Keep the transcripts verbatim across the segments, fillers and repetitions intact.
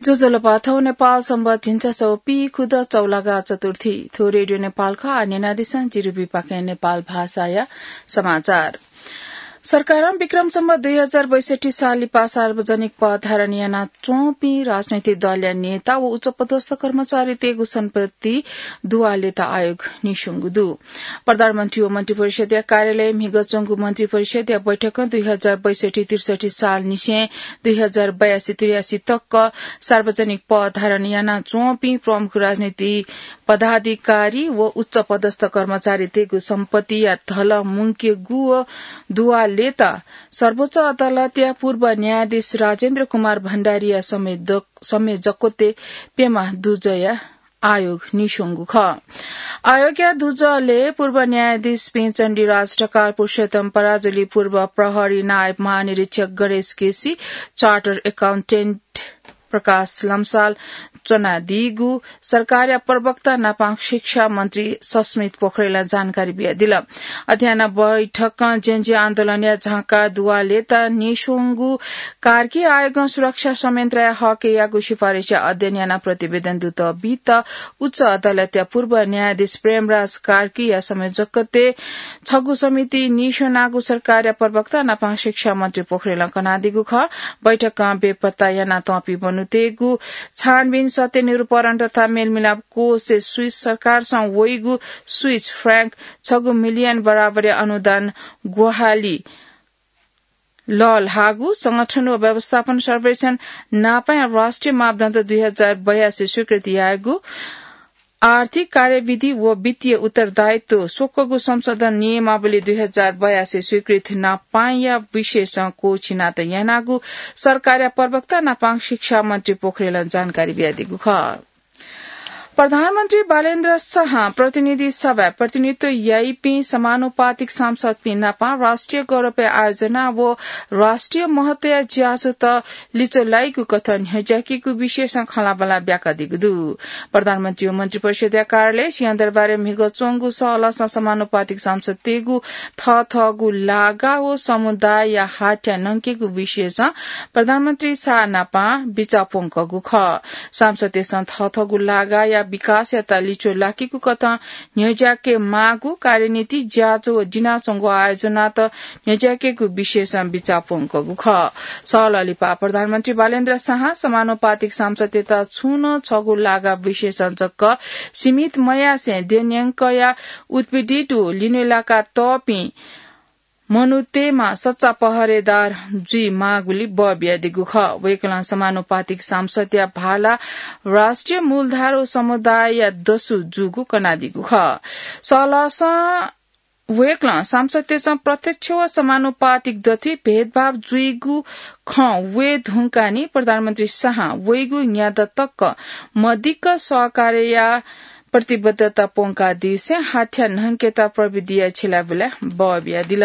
ज्वजलपा, थौं नेपाल संवत् झिंछसः पीखुदँ चौलागा चतुर्थी। थ्व रेडियो नेपाल खः। आः न्यनादिसँ जिरुबी पाखें नेपाल भाषाया समाचार। सरकारं विक्रम सम्वत् दुई हजार बैसठी साल लिपा सार्वजनिक पद धारण यानाच्वंपिं राजनैतिक दलया नेता व उच्चपदस्थ कर्मचारीतय्गु सम्पत्ति दुवालेत आयोग नीस्वंगु दु। प्रधानमन्त्री व मन्त्रिपरिषद्या कार्यालयय् म्हिगः च्वंगु मन्त्रिपरिषद्या बैठकं दुई हजार बैसठी त्रिसठी सालनिसें दुई हजार बयासी त्रियासी तक सार्वजनिक पद धारण यानाच्वंपिं प्रमुख राजनीतिक पदाधिकारी व उच्चपदस्थ कर्मचारीतय्गु सम्पत्तिया धल मुंकेगु व दुवालेत सर्वोच्च अदालतया पूर्व न्यायाधीश राजेन्द्र कुमार भण्डारीया संयोजक-, संयोजकत्वय् प्यम्ह दुजःया आयोग नीस्वंगु खः। आयोगया दुजलय् पूर्व न्यायाधीश प्रेमचण्डी राज, ढकाल पुरुषोत्तम पराजुली, पूर्व प्रहरी नायब महानिरीक्षक गणेश केसी, चार्टर्ड एकाउन्टेन्ट प्रकाश लम्साल च्वनादीगु सरकारया प्रवक्ता नापं शिक्षा मन्त्री सस्मित पोखरेलं जानकारी बियादिल। अथे यानाः बैठकं जेनजी आन्दोलनया झांका दुवालेत नीस्वंगु कार्की आयोगं सुरक्षा संयन्त्रया हकय् याःगु सिफारिसया अध्ययन यानाः प्रतिवेदन दुत बीत उच्च अदालतया पूर्व न्यायाधीश प्रेमराज कार्कीया संयोजकत्वय् छगू समिति नीस्वनागु सरकारया प्रवक्ता नापं शिक्षा मन्त्री पोखरेलं कनादीगु खः। बैठकं बेपत्ता यानातःपिं मनूतय्गु छानबिन, सत्य निरूपण तथा मेलमिलाप कोषय् स्विस सरकारसं वइगु स्विस फ्र्याङ्क छगू मिलियन बराबरया अनुदान ग्वाहालि लःल्हाःगु, संगठन व व्यवस्थापन सर्वेक्षण नापं राष्ट्रिय मापदण्ड दुई हजार बयासी स्वीकृति यायेगु, आर्थिक कार्यविधि व वित्तीय उत्तरदायित्व स्वक्वःगु संशोधन नियमावली दुई हजार बयासी स्वीकृति नापंया विषयसं क्वःछिनातयागु सरकारया प्रवक्ता नापं शिक्षा मन्त्री पोखरेलं जानकारी बियादीगु खः। प्रधानमन्त्री बालेन्द्र शाहं प्रतिनिधि सभाय् प्रतिनिधित्व याइपिं समानुपातिक सांसदपिं नापं राष्ट्रिय गौरवया आयोजना व राष्ट्रिय महत्वया ज्याझ्वःत लिच्वः लाइगु कथं न्ह्यज्याकेगु विषयसं खँल्हाबल्हा ब्याकादीगु दु। प्रधानमन्त्री व मन्त्रिपरिषद्या कार्यालय सिंहदरबारय् म्हिगः च्वंगु सहलहसं समानुपातिक सांसदतय्गु थःथःगु लागा व समुदायया हाथ्या न्हंकेगु विषयसं प्रधानमन्त्री शाह नापं बिचाः प्वंकःगु खः। सांसदतय्सं थःथःगु लागाया विकासयात लिच्वः लाकेगु कथं न्ह्यज्याके माःगु कार्यनीति, ज्याझ्वः व दिनाच्वंगु आयोजनात न्ह्यज्याकेगु विषयसं बिचाः प्वंकःगु खः। सहलह लिपा प्रधानमन्त्री बालेन्द्र शाहं समानुपातिक सांसदतय्त छुं नं छगू लागा विषयसं जक सीमित मयासें देय्न्यंकया उत्पीडित व लिन्हुलाका तःपिं मनूतय्मा सच्चा पहरेदार जुइ माःगुलि बः बियादीगु खः। वय्कलं समानुपातिक सांसदया भाला राष्ट्रिय मूलधार व समुदायया दसु जूगु कनादीगु खः। सहलहसं वय्कलं सांसदतय्सं प्रत्यक्ष व समानुपातिक दथुइ भेदभाव जुइगु खँ वये धुंकाः नि प्रधानमन्त्री शाहं वइगु न्यादँ तक मदिक्क सहकार्यया प्रतिबद्धता प्वंकादीसें हाथ्या न्हंकेत प्रविधिया छ्यलाबुलाय् बः बियादिल।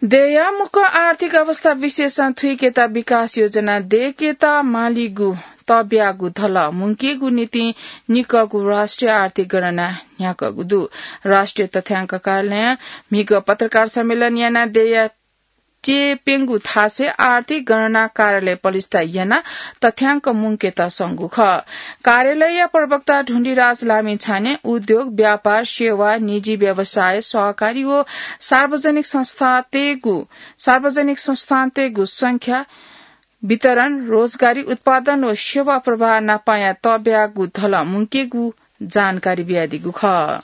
देय्या मुक्कं आर्थिक अवस्था विशेषं थुइकेत विकास योजना दय्केत मालीगु तब्यागु धलः मुंकेगु निंतिं निकःगु राष्ट्रिय आर्थिक गणना न्ह्याकःगु दु। राष्ट्रिय तथ्यांक कार्यालयं म्हिगः पत्रकार सम्मेलन यानाः देय्या त्यःप्यंगु थासय् आर्थिक गणना कार्यालय पलिस्था यानाः तथ्यांक मुंकेत संगु खः। कार्यालयया प्रवक्ता ढुण्डिराज लामिछानें उद्योग, व्यापार, सेवा, निजी व्यवसाय, सहकारी व सार्वजनिक संस्थातय्गु, सार्वजनिक संस्थानतय्गु संख्या, वितरण, रोजगारी, उत्पादन व सेवा प्रवाह नापंया तब्यागु धलः मुंकेगु जानकारी बियादीगु खः।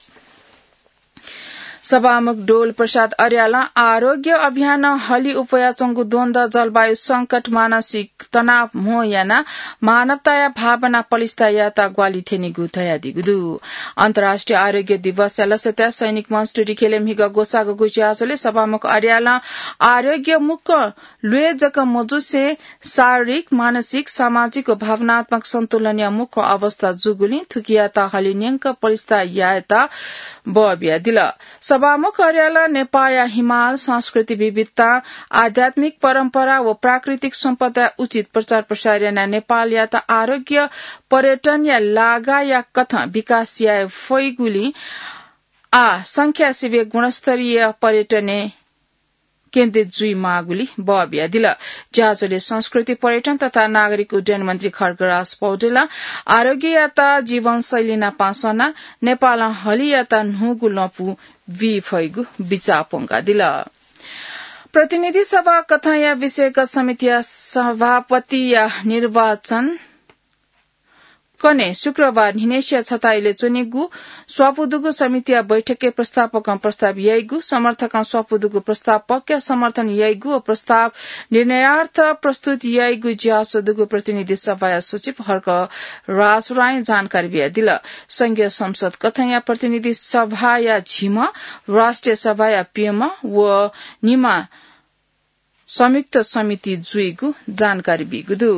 सभामुख डोल प्रसाद अर्यालं आरोग्य अभियानं हलिउप्वयाच्वंगु द्वन्द्व, जलवायु संकट, मानसिक तनाव म्हो यानाः मानवताया भावना पलिस्था यायेत ग्वाहालि थ्यनीगु धयादीगु दु। अन्तर्राष्ट्रिय आरोग्य दिवसया लसताय् सैनिक मञ्च टुँडिखेलय् म्हिगः ग्वसाःगु ज्याझ्वलय् सभामुख अर्यालं आरोग्य मुक्कं ल्वय् जक मजुसें शारीरिक, मानसिक, सामाजिक व भावनात्मक सन्तुलनया मुक्कं अवस्था जूगुलिं थुकियात हलिंन्यंक पलिस्था यायेत बः बियादिल। सभामुख अर्यालं नेपाःया हिमाल, संस्कृति विविधता, आध्यात्मिक परम्परा व प्राकृतिक सम्पदाया उचित प्रचार प्रसार यानाः नेपालयात आरोग्य पर्यटनया लागाया कथं विकास याये फइगुलिं आः संख्या सिबें गुणस्तरीय पर्यटनय् केन्द्रित जुइमाःगुली बः बियादिल। ज्याझ्वलय् संस्कृति, पर्यटन तथा नागरिक उड्डयन मन्त्री खड्गराज पौडेलं आरोग्ययात जीवनशैली नापं स्वनाः नेपालं हलियात न्हूगु लँपु बी फइगु बिचाः प्वंकादिल। प्रतिनिधि सभा कथंया विषयगत समितिया सभापतिया निर्वाचन कने शुक्रबार न्हिनय्सिया छता इलय् च्वनीगु स्वापू दुगु समितिया बैठकय् प्रस्तावकं प्रस्ताव याइगु, समर्थकं स्वापू दुगु प्रस्ताव पक्या समर्थन याइगु व प्रस्ताव निर्णयार्थ प्रस्तुत याइगु ज्याझ्वः दुगु प्रतिनिधि सभाया सचिव हर्क राज रायं जानकारी बियादिल। संघीय संसद कथंया प्रतिनिधि सभाया झिम्ह, राष्ट्रिय सभाया प्यम्ह व निम्ह संयुक्त समिति जुइगु जानकारी बीगु दु।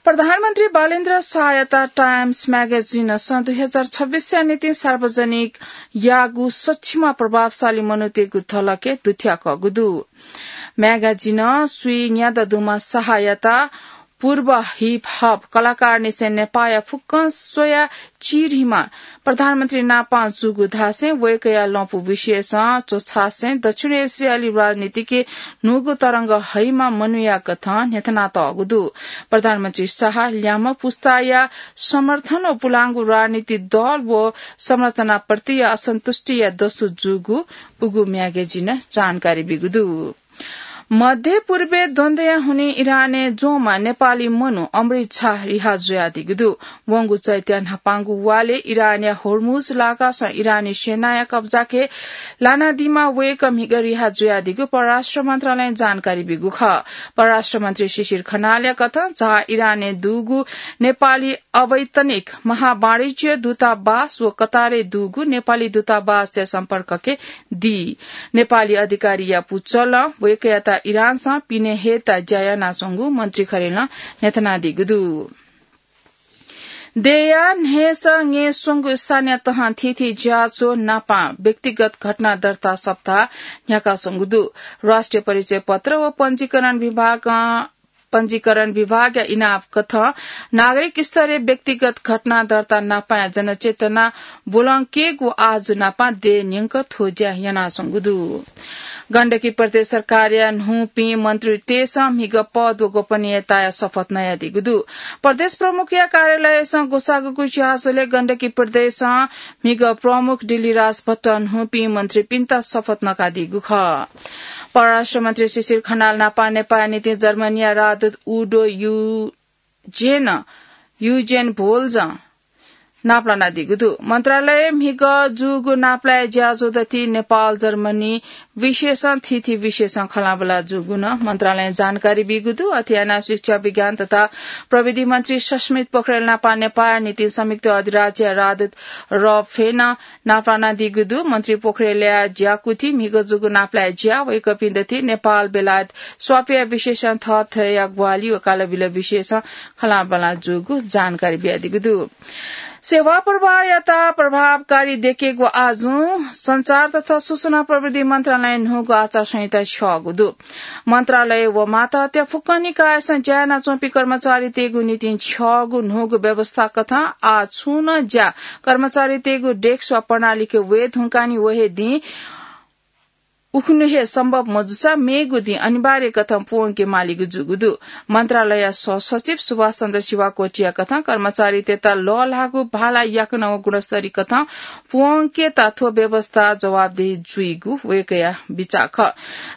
प्रधानमन्त्री बालेन्द्र शाहयात टाइम्स म्यागाजिनं सन् दुई हजार छब्बीसया निंतिं सार्वजनिक याःगु सच्चिमा प्रभावशाली मनूतय्गु धलखय् दुथ्याकःगु दु। म्यागाजिनं स्वीन्यादँ दुम्ह शाहयात पूर्व हिप हप कलाकारनिसें नेपाःया फुक्कं स्वया चिधीम्ह प्रधानमन्त्री नापं जूगु धासें वय्कःया लँपु विषयसं च्वछासें दक्षिण एसियाली राजनीतिके न्हूगु तरंग हइम्ह मनूया कथं न्ह्यथनातःगु दु। प्रधानमन्त्री शाह ल्याम्ह पुस्ताया समर्थन व पुलांगु राजनीतिक दल व संरचनाप्रतिया असन्तुष्टिया दसु जूगु उगु म्यागाजिनं जानकारी बीगु दु। मध्य पूर्वय् द्वन्द्वया हुनिं इरानय् च्वंम्ह नेपाली मनू अमृत झा रिहा जुयादीगु दु। वंगु चैत्या न्हापांगु वालय् इरानया होर्मुज लागासं इरानी सेनाया कब्जाके लानादीम्ह वय्कः म्हिगः रिहा जुयादीगु परराष्ट्र मन्त्रालयं जानकारी बीगु खः। परराष्ट्र मन्त्री शिशिर खनालया कथं झा इरानय् दुगु नेपाली अवैतनिक महावाणिज्य दूतावास व कतारय् दुगु नेपाली दूतावासया सम्पर्कके दी। नेपाली अधिकारीया पुचलं वय्कःयात इरानसं पिने हयेत ज्या यानाच्वंगु मन्त्री खरेलं न्ह्यथनादीगु दु। देय्या न्हय्सः ङय् स्वंगु स्थानीय तहं थीथी ज्याझ्वः नापं व्यक्तिगत घटना दर्ता सप्ताह न्ह्याकाच्वंगु दु। राष्ट्रिय परिचय पत्र व पञ्जीकरण विभागं पञ्जीकरण विभागया इनाप कथं नागरिक स्तरय् व्यक्तिगत घटना दर्ता नापंया जनचेतना ब्वलंकेगु आजु नापं देय् न्यंक थ्व ज्या यानाच्वंगु दु। गण्डकी प्रदेश सरकारया न्हूपिं मन्त्रीतय्सं म्हिगः पद व गोपनीयताया शपथ नयादीगु दु। प्रदेश प्रमुखया कार्यालयसं ग्वसाःगु ज्याझ्वलय् गण्डकी प्रदेशं म्हिगः प्रमुख डिल्लीराज भट्टं न्हूपिं मन्त्रीपिन्त शपथ नकादीगु खः। परराष्ट्र मन्त्री शिशिर खनाल नापं नेपाःया निंतिं जर्मनीया राजदूत उडो युजेन, युजेन भोल्जं नापलानादीगु दु। मन्त्रालयय् म्हिगः जूगु नापलाये ज्याझ्वः दथुइ नेपाल जर्मनी विशेषं थीथी विशेषं खँल्हाबल्हा जूगु नं मन्त्रालयं जानकारी बीगु दु। अथे यानाः शिक्षा, विज्ञान तथा प्रविधि मन्त्री सस्मित पोखरेल नापं नेपाःया निंतिं संयुक्त अधिराज्यया राजदूत रब फेनं नापलानादीगु दु। मन्त्री पोखरेलया ज्याकुथिइ म्हिगः जूगु नापलाये ज्या, वय्कःपिं दथुइ नेपाल बेलायत स्वापया विशेषं थःथःया ग्वाहालि व कालबिल विशेषं खँल्हाबल्हा जूगु जानकारी बियादीगु दु। सेवा प्रवाहयात प्रभावकारी दयेकेगु आजुं सञ्चार तथा सूचना प्रविधि मन्त्रालयं न्हूगु आचार संहिता छ्यःगु दु। मन्त्रालय व मातहतया फुक्क निकायसं ज्या यानाच्वंपिं कर्मचारीतय्गु निंतिं छ्यःगु न्हूगु व्यवस्था कथं आः छुं नं ज्या कर्मचारीतय्गु डेस्क वा प्रणालीके वये धुंकाः निं व हे दिं उखुन्हु हे सम्भव मजूसा मेगु दिं अनिवार्य कथं पूवंके मालीगु जूगु दु। मन्त्रालयया सहसचिव सुभाष चन्द्र शिवाकोटीया कथं कर्मचारीतय्त लःल्हाःगु भाला याकनं व गुणस्तरीय कथं पूवंकेत थ्व व्यवस्था जवाबदेही जुइगु वय्कःया बिचाः खः।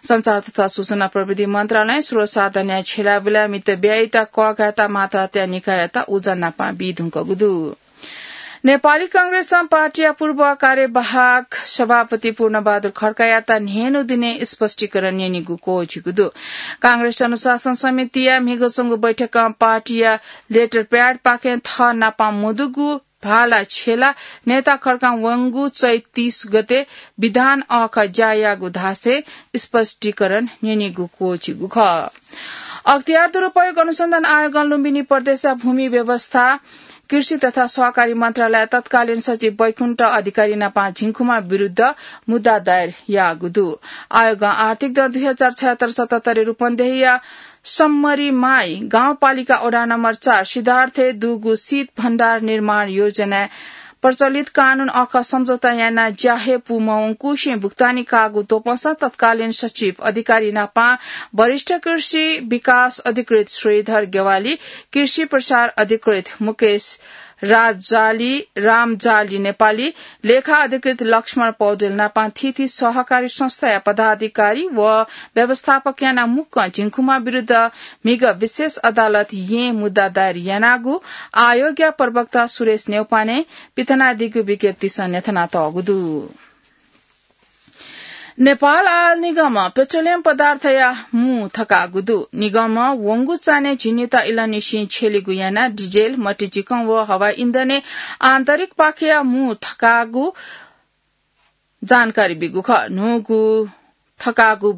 सञ्चार तथा सूचना प्रविधि मन्त्रालयं स्रोत साधनया झ्यलय् बुलय् मित ब्यययात कःघायेत मातहतया निकाययात उजं नापं बी धुंकूगु दु। नेपाली कांग्रेसं पार्टीया पूर्व कार्यवाहक सभापति पूर्णबहादुर खड्कायात न्हय्न्हु दिनय् स्पष्टीकरण न्यनीगु क्वःछिगु दु। कांग्रेस अनुशासन समितिया म्हिगः च्वंगु बैठकं पार्टीया लेटर प्याडपाखें थः नापं मदुगु भाला छ्यलाः नेता खड्कां वंगु चैत तीस गते विधान अःखः ज्या याःगु धासें स्पष्टीकरण न्यनीगु क्वःछिगु खः। अख्तियार दुरुपयोग अनुसन्धान आयोगं लुम्बिनी प्रदेशया भूमि व्यवस्था, कृषि तथा सहकारी मन्त्रालय तत्कालीन सचिव वैकुण्ठ अधिकारी नापं झिंखुमा विरुद्ध मुद्दा दायर याःगु दु। आयोगं आर्थिक दँ दुई हजार छयहत्तर सतहत्तरय् रूपन्देहीया सम्मरीमाई गाउँपालिका वडा नम्बर चार सिद्धार्थय् दुगु शीत भण्डार निर्माण योजनाय् प्रचलित कानून अख सम्झौता याना ज्याहे पूमवंकुसें भुक्तानी काःगु त्वपंसा तत्कालीन सचिव अधिकारी नापां वरिष्ठ कृषि विकास अधिकृत श्रीधर गेवाली, कृषि प्रसार अधिकृत मुकेश राजाली, रामजाली नेपाली, लेखा अधिकृत लक्ष्मण पौडेल नापां थीथी सहकारी संस्थाया पदाधिकारी व व्यवस्थापक याना मुक्कं झिंखुमा विरुद्ध म्हिगः विशेष अदालत यें मुद्दा दायर यानागु आयोगया प्रवक्ता सुरेश न्यौपाने पिथनादीगु विज्ञप्तिसं न्ह्यथनातःगु दु। नेपाल आयल निगमं पेट्रोलियम पदार्थया मू थकाःगु दु। निगमं वंगु चान्हय् झिंनिता इलंनिसें छ्यलेगु यानाः डिजेल, मतिचिकं व हवाई इन्धनय् आन्तरिक पाखेया मू थकाःगु जानकारी बीगु खः। न्हूगु थकाःगु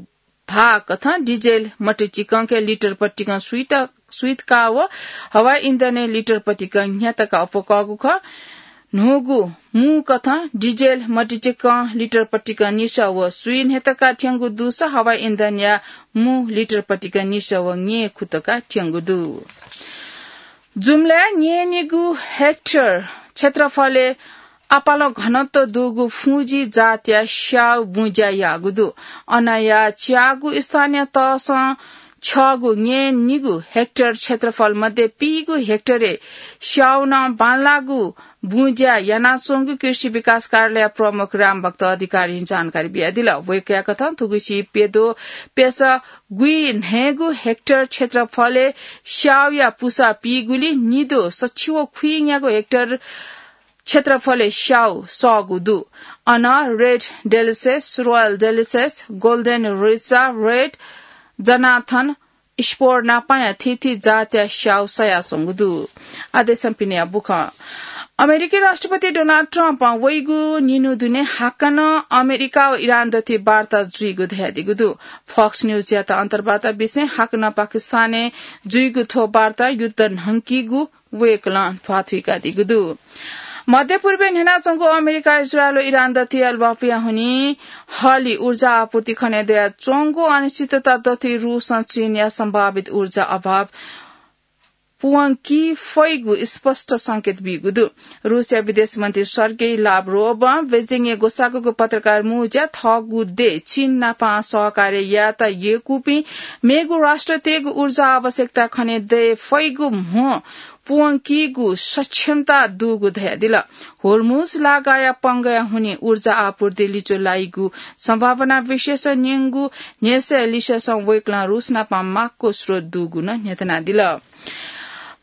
भाः कथं डिजेल मतिचिकंके लिटर पतिकं स्वीत, स्वीत का व हवाई इन्धनय् लिटर पतिकं न्ह्यात का अप्वः कःगु खः। न्हूगु मू कथं डिजेल मतिचिकं लिटर पतिकं निसः व स्वी न्ह्यात का थ्यंगु दुसा हवाई इन्धनया मू लिटर पतिकं निसः व न्ये खुत का थ्यंगु दु। जुम्लाय् न्यय्‌निगू हेक्टर क्षेत्रफलय् आपालं घनत्व दुगु फुजी जातया स्याउ बुँज्या याःगु दु। अनया च्यागू स्थानीय तहसं छगू न्यय्‌निगू हेक्टर क्षेत्रफल मध्ये पीगू हेक्टरय् स्याउ नं बांलाःगु बुँज्या यानाच्वंगु कृषि विकास कार्यालय प्रमुख रामभक्त अधिकारीं जानकारी बियादिल। वय्‌कःया कथं थुगुसी प्यद्वः प्यसः गुइन्हय्‌गू हेक्टर क्षेत्रफलय् स्याउया पुसा पीगुलिं निद्वः सछि व खुइन्यागू हेक्टर क्षेत्रफलय् स्याउ सःगु दु। अन रेड डेलिसेस, रोयल डेलिसेस, गोल्डन रिचा, रेड जनाथन, स्पोर नापांया थीथी जातया स्याउ सयाच्वंगु दु। आः देशं पिनेया बुखँ। अमेरिकी राष्ट्रपति डोनाल्ड ट्रम्पं वइगु निन्हु दुने हाकनं अमेरिका व इरान दथुइ वार्ता जुइगु धयादीगु दु। फक्स न्यूजयात अन्तर्वार्ता बिसें हाकनं पाकिस्तानय् जुइगु थ्व वार्ता युद्ध न्हंकीगु वय्‌कलं ध्वाथुइकादीगु दु। मध्यपूर्वय् न्ह्यानाच्वंगु अमेरिका, इजरायल व इरान दथुइ ल्वापुया हुनिं हलि ऊर्जा आपूर्ति खने दयाच्वंगु अनिश्चितता दथुइ रूसं चीनया सम्भावित ऊर्जा अभाव पूवंकी फइगु स्पष्ट संकेत बीगु दु। रूसया विदेश मन्त्री सर्गेई लाभरोभं बेजिङय् ग्वसाःगु पत्रकार म्हुँज्या थःगु देय् चीन नाप सहकार्य यायेत यय्‌कूपिं मेगु राष्ट्रतय्‌गु ऊर्जा आवश्यकता खने दये फइगु म्हो पूवंकीगु सक्षमता दुगु धयादिल। होर्मुज लागाया पंगया हुनिं ऊर्जा आपूर्ति लिच्वः लाइगु सम्भावना विषयस न्यंगु न्ह्यसः लिससं वय्‌कलं रूस नाप माक्व स्रोत दुगु नं न्ह्यथनादिल।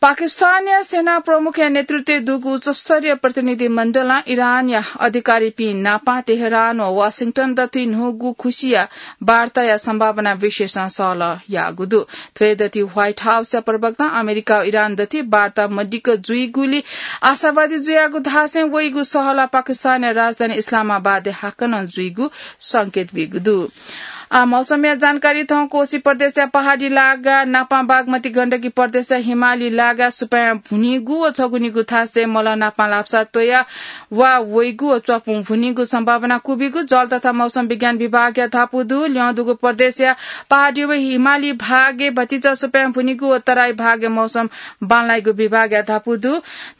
पाकिस्तानया सेना प्रमुखया नेतृत्वय् दुगु उच्चस्तरीय प्रतिनिधि मण्डलं इरानया अधिकारीपिं नाप तेहरान व वाशिंटन दथुइ न्हूगु खुसिया वार्ताया सम्भावना विषयसं सहलह याःगु दु। थ्व दथुइ व्हाइट हाउसया प्रवक्तां अमेरिका व इरान दथुइ वार्ता मदिक्क जुइगुली आशावादी जुयागु धासें वइगु सहलह पाकिस्तानया राजधानी इस्लामाबादय् हाकनं जुइगु संकेत बीगु दु। आः मौसमया जानकारी। थौं कोशी प्रदेशया पहाडी लागा नापां बागमती गण्डकी प्रदेशया हिमाली लागा सुपाँय् भुनिगु व छगुनिगु थासय् मलं नापां लापसा त्वया वा वइगु व च्वापुं भुनिगु सम्भावना क्वबिगु जल तथा मौसम विज्ञान विभागया धापू दु। ल्यं दुगु प्रदेशया पहाडी व हिमाली भागय् भतिचा सुपाँय् भुनिगु व तराई भागय् मौसम बांलाइगु विभागया धापू दु।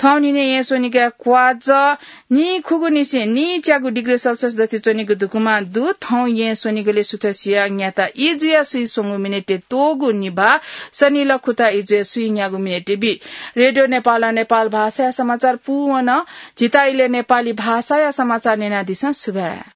थौं न्हिनय् येँ स्वनिगः क्वाज नीखुगुनिसें नीच्यागु डिग्री सेल्सियस दथुइ च्वनीगु धुकुमा दु। थौं येँ स्वनिगलय् सुथसिया न्याता इजुया सुइस्वंगू मिनेटय् त्वःगू निभाः सनिलः खुता इजुया सुइन्यागू मिनेटय् बी। रेडियो नेपालं नेपाल भाषाया समाचार पूवंक झीत इलय् नेपाली भाषाया समाचार न्यनादिसँ। सुभाय्।